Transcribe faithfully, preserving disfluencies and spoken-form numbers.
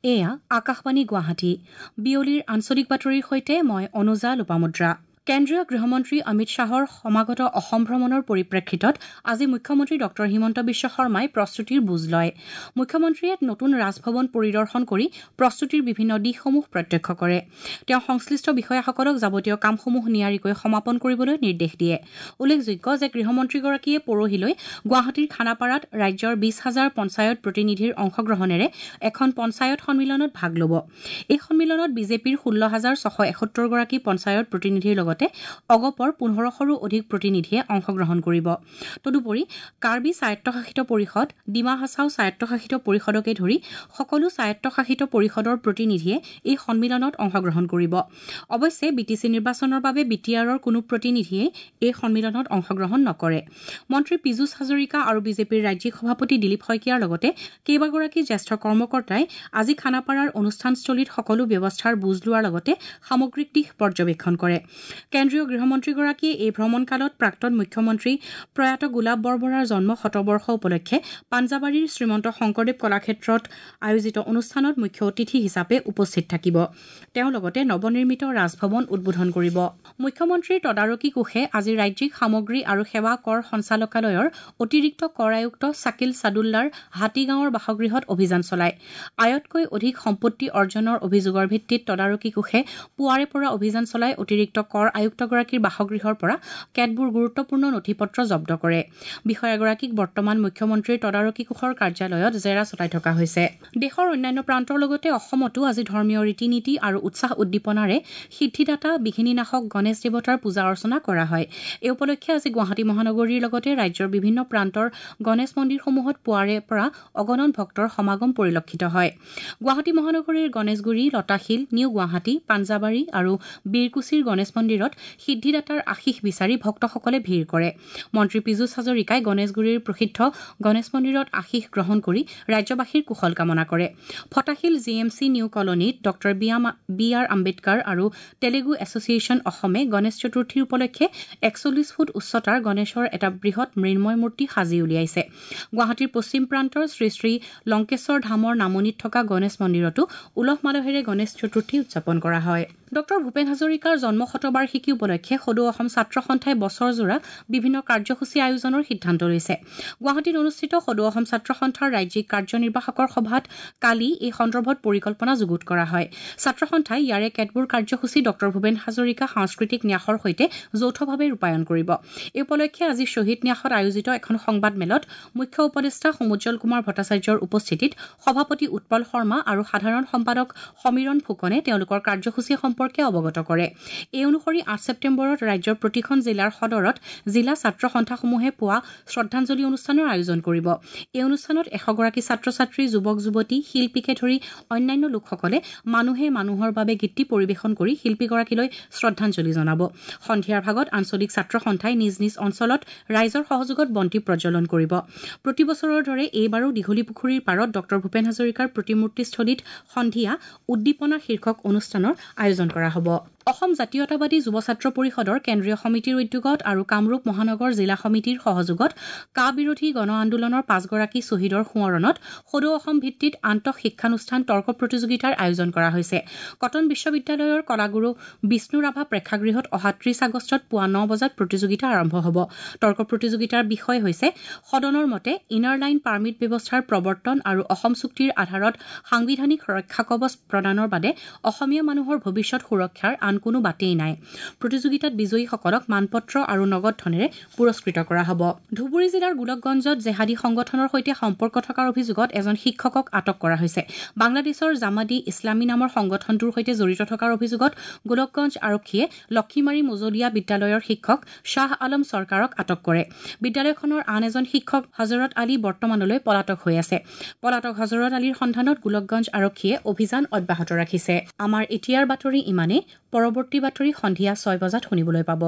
এয়া আকাশবাণী গুৱাহাটী। বিয়লিৰ আঞ্চলিক বাতৰিৰ সৈতে মই অনুজা লোপামুদ্ৰা। কেন্দ্ৰীয় গৃহমন্ত্ৰী অমিত শ্বাহৰ সমাগত অসম ভ্ৰমণৰ পৰিপ্ৰেক্ষিতত আজি মুখ্যমন্ত্ৰী ডঃ হিমন্ত বিশ্ব শৰ্মাই প্ৰস্তুতিৰ বুজ লয়। মুখ্যমন্ত্ৰীয়ে নতুন ৰাজভৱন পৰিদৰ্শন কৰি প্ৰস্তুতিৰ বিভিন্ন দিশসমূহ প্ৰত্যক্ষ কৰে। তেওঁ সংশ্লিষ্ট বিষয়াসকলক যাৱতীয় কামসমূহ নিয়াৰিকৈ সমাপন কৰিবলৈ নিৰ্দেশ দিয়ে। উল্লেখযোগ্য যে গৃহমন্ত্ৰীগৰাকীয়ে পৰহিলৈ গুৱাহাটীৰ খানাপাৰাত ৰাজ্যৰ বিশ হাজাৰ পঞ্চায়ত প্ৰতিনিধিৰ অংশগ্ৰহণেৰে এখন পঞ্চায়ত সন্মিলনত ভাগ ল'ব। এই সন্মিলনত বিজেপিৰ ষোল্ল হাজাৰ ছশ এসত্তৰগৰাকী পঞ্চায়ত প্ৰতিনিধিৰ লগতে অগপৰ পোন্ধৰশৰো অধিক প্ৰতিনিধিয়ে অংশগ্ৰহণ কৰিব। তদুপৰি কাৰ্বি স্বায়ত্তশাসিত পৰিষদ, ডিমা হাছাও স্বায়ত্তশাসিত পৰিষদকে ধৰি সকলো স্বায়ত্তশাসিত পৰিষদৰ প্ৰতিনিধিয়ে এই সন্মিলনত অংশগ্ৰহণ কৰিব। অৱশ্যে বি টি চি নিৰ্বাচনৰ বাবে বি টি আৰৰ কোনো প্ৰতিনিধিয়েই এই সন্মিলনত অংশগ্ৰহণ নকৰে। মন্ত্ৰী পীযুষ হাজৰিকা আৰু বিজেপিৰ ৰাজ্যিক সভাপতি দিলীপ শইকীয়াৰ লগতে কেইবাগৰাকী জ্যেষ্ঠ কৰ্মকৰ্তাই আজি খানাপাৰাৰ অনুষ্ঠানস্থলীত সকলো ব্যৱস্থাৰ বুজ লোৱাৰ লগতে সামগ্ৰিক দিশ পৰ্যবেক্ষণ কৰে। কেন্দ্ৰীয় গৃহমন্ত্ৰীগৰাকীয়ে এই ভ্ৰমণকালত প্ৰাক্তন মুখ্যমন্ত্ৰী প্ৰয়াত গোলাপ বৰবৰাৰ জন্ম শতবৰ্ষ উপলক্ষে পাঞ্জাবাৰীৰ শ্ৰীমন্ত শংকৰদেৱ কলাক্ষেত্ৰত আয়োজিত অনুষ্ঠানত মুখ্য অতিথি হিচাপে উপস্থিত থাকিব। তেওঁ লগতে নৱনিৰ্মিত ৰাজভৱন উদ্বোধন কৰিব। মুখ্যমন্ত্ৰীৰ তদাৰকী কোষে আজি ৰাজ্যিক সামগ্ৰী আৰু সেৱা কৰ সঞ্চালকালয়ৰ অতিৰিক্ত কৰ আয়ুক্ত ছাকিল ছাদুল্লাৰ হাতীগাঁৱৰ বাসগৃহত অভিযান চলায়। আয়তকৈ অধিক সম্পত্তি অৰ্জনৰ অভিযোগৰ ভিত্তিত তদাৰকী কোষে পুৱাৰে পৰা অভিযান চলাই অতিৰিক্ত কৰ আয়ুক্তগৰাকীৰ বাসগৃহৰ পৰা কেতবোৰ গুৰুত্বপূৰ্ণ নথি-পত্ৰ জব্দ কৰে। বিষয়াগৰাকীক বৰ্তমান মুখ্যমন্ত্ৰীৰ তদাৰকী কোষৰ কাৰ্যালয়ত জেৰা চলাই থকা হৈছে। দেশৰ অন্যান্য প্ৰান্তৰ লগতে অসমতো আজি ধৰ্মীয় ৰীতি-নীতি আৰু উৎসাহ উদ্দীপনাৰে সিদ্ধিদাতা বিঘিনীনাশক গণেশ দেৱতাৰ পূজা অৰ্চনা কৰা হয়। এই উপলক্ষে আজি গুৱাহাটী মহানগৰীৰ লগতে ৰাজ্যৰ বিভিন্ন প্ৰান্তৰ গণেশ মন্দিৰসমূহত পুৱাৰে পৰা অগণন ভক্তৰ সমাগম পৰিলক্ষিত হয়। গুৱাহাটী মহানগৰীৰ গণেশগুৰি, লতাশিল, নিউ গুৱাহাটী, পাঞ্জাবাৰী আৰু বীৰকুছিৰ গণেশ মন্দিৰত সিদ্ধিদাতাৰ আশীষ বিচাৰি ভক্তসকলে ভিৰ কৰে। মন্ত্ৰী পীযুষ হাজৰিকাই গণেশগুৰিৰ প্ৰসিদ্ধ গণেশ মন্দিৰত আশীষ গ্ৰহণ কৰি ৰাজ্যবাসীৰ কুশল কামনা কৰে। Fatasil G M C new কলনীত ডঃ বি আৰ আম্বেদকাৰ আৰু তেলেগু এছ'চিয়েশ্যন অসমে গণেশ চতুৰ্থীৰ উপলক্ষে একচল্লিছ ফুট উচ্চতাৰ গণেশৰ এটা বৃহৎ মৃন্ময় মূৰ্তি সাজি উলিয়াইছে। গুৱাহাটীৰ পশ্চিম প্ৰান্তৰ শ্ৰী শ্ৰী লংকেশ্বৰ ধামৰ নামনিত থকা গণেশ মন্দিৰতো উলহ মালহেৰে গণেশ চতুৰ্থী উদযাপন কৰা হয়। ডঃ ভূপেন হাজৰিকাৰ জন্ম শতবাৰ্ষিকী উপলক্ষে সদৌ অসম ছাত্ৰ সন্থাই বছৰজোৰা বিভিন্ন কাৰ্যসূচী আয়োজনৰ সিদ্ধান্ত লৈছে। গুৱাহাটীত অনুষ্ঠিত সদৌ অসম ছাত্ৰ সন্থাৰ ৰাজ্যিক কাৰ্যনিৰ্বাহকৰ সভাত কালি এই সন্দৰ্ভত পৰিকল্পনা যুগুত কৰা হয়। ছাত্ৰ সন্থাই ইয়াৰে কেতবোৰ কাৰ্যসূচী ডঃ ভূপেন হাজৰিকা সাংস্কৃতিক ন্যাসৰ সৈতে যৌথভাৱে ৰূপায়ণ কৰিব। এই উপলক্ষে আজি শ্বহীদ ন্যাসত আয়োজিত এখন সংবাদমেলত মুখ্য উপদেষ্টা সমুজ্জ্বল কুমাৰ ভট্টাচাৰ্যৰ উপস্থিতিত সভাপতি উৎপল শৰ্মা আৰু সাধাৰণ সম্পাদক সমীৰণ ফুকনে তেওঁলোকৰ কাৰ্যসূচী সম্পৰ্কে অৱগত কৰে। এই অনুসৰি আঠ ছেপ্টেম্বৰত ৰাজ্যৰ প্ৰতিখন জিলাৰ সদৰত জিলা ছাত্ৰ সন্থাসমূহে পুৱা শ্ৰদ্ধাঞ্জলি অনুষ্ঠানৰ আয়োজন কৰিব। এই অনুষ্ঠানত এশগৰাকী ছাত্ৰ-ছাত্ৰী, যুৱক-যুৱতী, শিল্পীকে ধৰি অন্যান্য লোকসকলে মানুহে মানুহৰ বাবে গীতটি পৰিৱেশন কৰি শিল্পীগৰাকীলৈ শ্ৰদ্ধাঞ্জলি জনাব। সন্ধিয়াৰ ভাগত আঞ্চলিক ছাত্ৰ সন্থাই নিজ নিজ অঞ্চলত ৰাইজৰ সহযোগত বন্তি প্ৰজ্বলন কৰিব। প্ৰতি বছৰৰ দৰে এইবাৰো দীঘলীপুখুৰীৰ পাৰত ডঃ ভূপেন হাজৰিকাৰ প্ৰতিমূৰ্তিস্থলীত সন্ধিয়া উদ্দীপনা শীৰ্ষক অনুষ্ঠানৰ আয়োজন কৰা হ'ব। অসম জাতীয়তাবাদী যুৱ ছাত্ৰ পৰিষদৰ কেন্দ্ৰীয় সমিতিৰ উদ্যোগত আৰু কামৰূপ মহানগৰ জিলা সমিতিৰ সহযোগত কা বিৰোধী গণ আন্দোলনৰ পাঁচগৰাকী শ্বহীদৰ সোঁৱৰণত সদৌ অসম ভিত্তিত আন্তঃশিক্ষানুষ্ঠান তৰ্ক প্ৰতিযোগিতাৰ আয়োজন কৰা হৈছে। কটন বিশ্ববিদ্যালয়ৰ কলাগুৰু বিষ্ণু ৰাভা প্ৰেক্ষাগৃহত অহা ত্ৰিশ আগষ্টত পুৱা ন বজাত প্ৰতিযোগিতা আৰম্ভ হ'ব। তৰ্ক প্ৰতিযোগিতাৰ বিষয় হৈছে সদনৰ মতে ইনাৰ লাইন পাৰ্মিট ব্যৱস্থাৰ প্ৰৱৰ্তন আৰু অসম চুক্তিৰ আধাৰত সাংবিধানিক ৰক্ষা কৱচ প্ৰদানৰ বাদে অসমীয়া মানুহৰ ভৱিষ্যত সুৰক্ষাৰ আন কোনো বাটেই নাই। প্ৰতিযোগিতাত বিজয়ীসকলক মানপত্ৰ আৰু নগদ ধনেৰে পুৰস্কৃত কৰা হ'ব। ধুবুৰী জিলাৰ গোলকগঞ্জত জেহাদী সংগঠনৰ সৈতে সম্পৰ্ক থকাৰ অভিযোগত এজন শিক্ষকক আটক কৰা হৈছে। বাংলাদেশৰ জামাদি ইছলামী নামৰ সংগঠনটোৰ সৈতে জড়িত থকাৰ অভিযোগত গোলকগঞ্জ আৰক্ষীয়ে লক্ষীমাৰী মজলীয়া বিদ্যালয়ৰ শিক্ষক শ্বাহ আলম চৰকাৰক আটক কৰে। বিদ্যালয়খনৰ আন এজন শিক্ষক হজৰত আলী বৰ্তমানলৈ পলাতক হৈ আছে। পলাতক হজৰত আলীৰ সন্ধানত গোলকগঞ্জ আৰক্ষীয়ে অভিযান অব্যাহত ৰাখিছে। আমাৰ এতিয়াৰ বাতৰি ইমানেই। পৰৱৰ্তী বাতৰি সন্ধিয়া ছয় বজাত শুনিবলৈ পাব।